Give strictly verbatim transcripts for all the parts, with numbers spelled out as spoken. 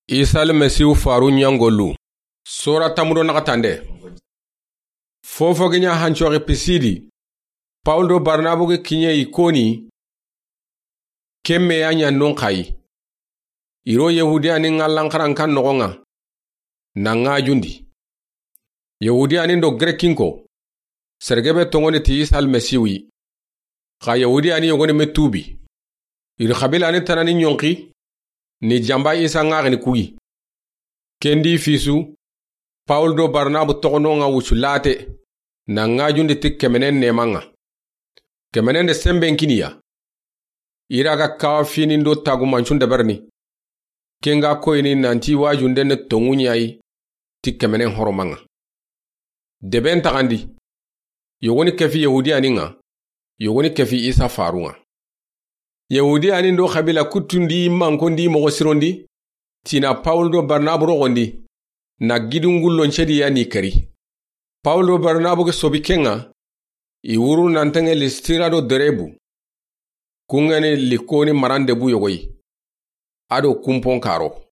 Isa Almasihu faru ɲangolu. Sora tamudo naxatande. Fofo gi ɲa hancoxi Pisidi, Pawulu do Barnabu gi kiɲe Ikoni, kemme ya ɲa non xayi. Iro Yahudiyani ŋa lanxaran kan noxon ŋa, na ŋajundi. Yahudiyani do Grekinko, sergebe toŋoni ti Isa Almasihu yi. Xa Yahudiyani yogoni me tubi. Iri xabilani tanani ɲonxi, ni jamba Isa ŋaxini kuyi. Kendi fisu, Pawulu do Barnabu toxono ŋa wucu late, na ŋajundi ti kemenen neman ŋa. Kemenen de semben kiniya. Ira ga kawa finin do tagumancun deberni. Kenga koyini nanti wajunde ne tonŋu ɲayi ti kemenen horoman ŋa. Deben taxandi. Yogoni kefi Yahudiyani ŋa, yogoni kefi Isa farun ŋa. Yahudiyani do xabila kuttundi mankondi moxo sirondi, tina Pawulu do Barnabu roxondi, na gidingullon cedi ya ni keri. Pawulu do Barnabu ge sobi ken ŋa, i wuru nanteŋe Listira do Derebu. Kungeni Likoni marande bu yogoyi. Ado kumpon karo.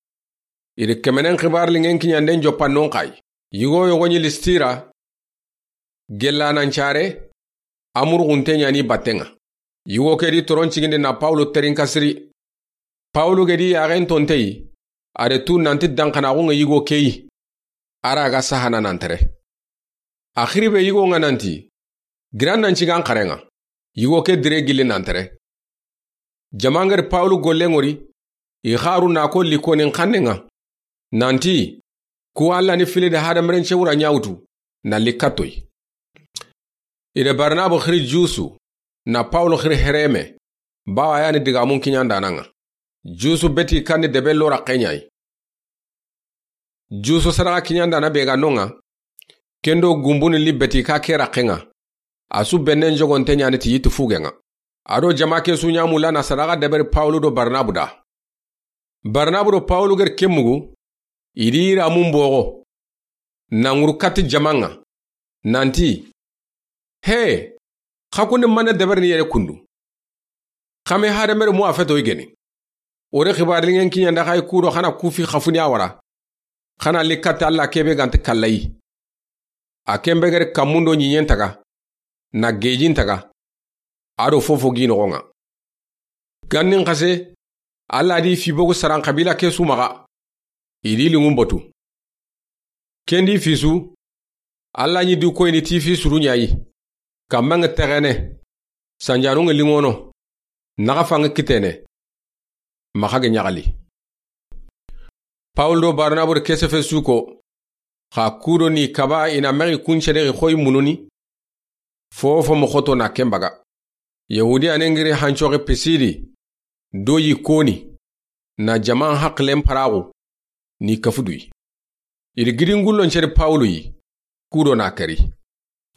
Iri kemenen xibar lingen kiɲanden joppa non xayi. Yigo yogoɲi Listira, gella nan care, amurgunte ɲani batten ŋa. Yigo kedi toron cigindi na Pawulu terin kasiri. Pawulu gedi yaxen tonteyi, are tu nanti danxanaxun ŋa yigo keyi. Ara ga sahana nan tere. Axiri be yigo ŋa nanti, giran nan cigan xaren ŋa. Yigo ke dire gilli nan tere. Jamangeri Pawulu gollen ŋori, i xaru na ko Likonin xannen ŋa. Nanti, ku Alla ni fili de hadamaren cewura ɲawutu, na likatoyi. Ire Barnabu xiri Jusu, na Pawulu xiri Hereme, bawa yani digamun kiɲandanan ŋa. Jusu beti kandi debe lora xeɲayi. Jusu sadaxa kiɲandana be ga non ŋa, kendo gumbuni li beti ka ke raxen ŋa. A su bennen jogonte ɲani ti yitu fugen ŋa. Ado jama ke su ɲamu lana sadaxa deberi Pawulu do Barnabu da. Barnabu do Pawulu geri ke mugu, idi iramun boxo. Nanguru kati jaman ŋa. Nanti, he, xa kundi mane deberini yere kundu. Xame hadamere mu a feto igeni. Ore xibar lingen kiɲanda xay kudo xana kufi xafuni a wara. Xana li kati Alla kebe ganti kallayi. A kembe geri kammundo ɲiɲen taga. Na gejin taga. Ado fofo gi noxon ŋa. Gannin xase, Alla di fi bogu saran xabila ke su maxa. Idi lingun batu. Kendi fisu, Alla ɲi du koyini ti fi suru ɲayi. Kammanŋe texene, sanjanunŋe lingono, naxa fanŋe kitene, maxa ge ɲaxali. Pawulu do Barnabu de kesefe suko, xa kudo ni kaba ina mexi kunce de xoy mununi, fofo mo xoto na kembaga. Yahudiyanen giri hancoxe Pisidi, do yi koni, na jaman haqilen paraxu, ni kafuduyi. Iri gidingullon ceri Pawulu yi, kudo na keri.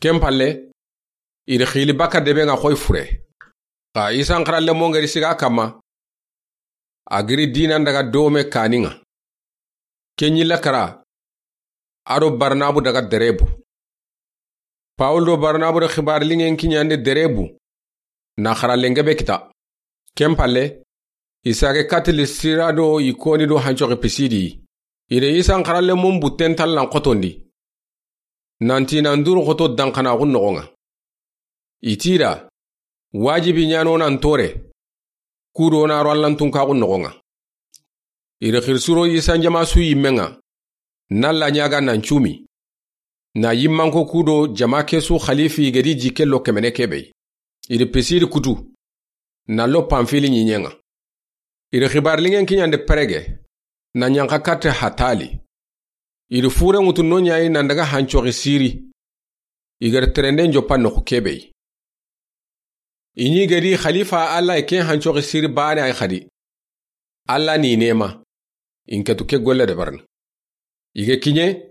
Ken palle, iri xili baka debe ŋa xoy fure. Xa Isan xaralle mo ngeri siga kamma, a giri dinan daga dome kanin ŋa. Ken ɲi lakara, ado Barnabu daga Derebu. Pawulu do Barnabu do xibar lingen kiɲande Derebu, na xarallen gebe kita. Ken palle, i sage kati Listira do Ikoni do hancoxe Pisidi. Ire Isan xaralle mun butten tallan xotondi. Nanti nan duru xoto danxanaxun noxon ŋa. Itira, wajibi ɲano nan tore, kudo na ro Allan tunkaxun noxon ŋa. Iri xirsuro Isan jama su yimmen ŋa, na la ɲaga nan cumi. Na yimmanko kudo jama ke su xalifi gedi jikke lo kemene kebe. Iri Pisidi kutu, na lo Pamfili ɲiɲen ŋa. Iri xibar lingen kiɲande Perege, na ɲanxa katte Hatali. Iri fure ŋutu no ɲayi nan daga hancoxi Siri. I geri terenden joppa noxu kebe yi. I ɲi gedi xalifa Alla i ken hancoxi Siri bane ay xadi. Alla ni nema. In ketu ke golle de barna. I ge kiɲe,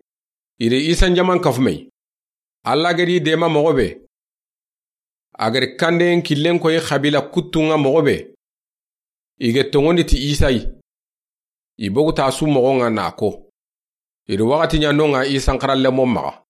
iri Isan jaman kafumey. Alla gedi dema moxo be. A geri kanden killen koyi xabila kuttunŋa moxo be. I ge tonŋondi ti Isa yi. I bogu ta su moxon ŋa na ko. Iri waxati ɲa non ŋa Isan xaralle mo maxa.